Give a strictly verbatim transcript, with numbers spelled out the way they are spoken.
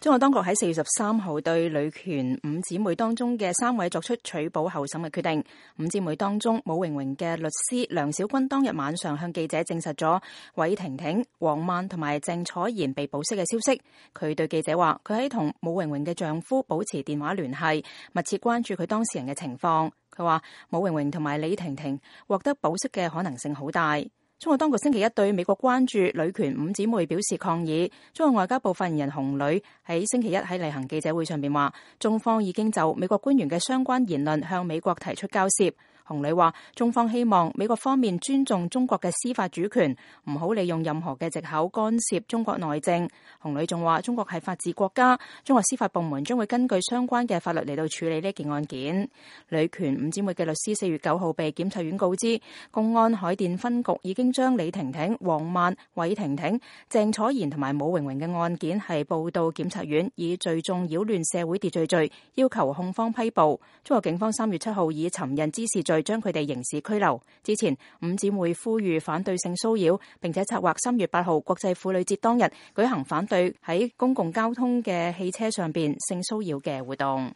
中國當局喺四月十三號對女權五姊妹當中嘅三位作出取保候審嘅決定。五姊妹當中，武榮榮嘅律師梁小軍當日晚上向記者證實咗韋婷婷、黃曼同埋鄭楚賢被保釋嘅消息。佢對記者話：佢喺同武榮榮嘅丈夫保持電話聯繫，密切關注佢當事人嘅情況。佢話武榮榮同埋李婷婷獲得保釋嘅可能性好大。中國當局星期一對美國關注女權五姊妹表示抗議。中國外交部發言人洪磊喺星期一喺例行記者會上邊話，中方已經就美國官員嘅相關言論向美國提出交涉。洪磊話，中方希望美國方面尊重中國嘅司法主權，唔好利用任何嘅藉口干涉中國內政。洪磊仲話，中國係法治國家，中國司法部門將會根據相關嘅法律嚟到處理呢件案件。女權五姊妹嘅律師四月九號被檢察院告知，公安海淀分局已經將李婷婷、黃曼、韋婷婷、鄭楚賢同埋武榮榮嘅案件係報到檢察院，以聚眾擾亂社會秩序罪要求控方批捕。中國警方三月七號以尋釁滋事罪將佢哋刑事拘留。之前五姊妹呼籲反對性騷擾，並且策劃三月八號國際婦女節當日舉行反對喺公共交通嘅汽車上邊性騷擾嘅活動。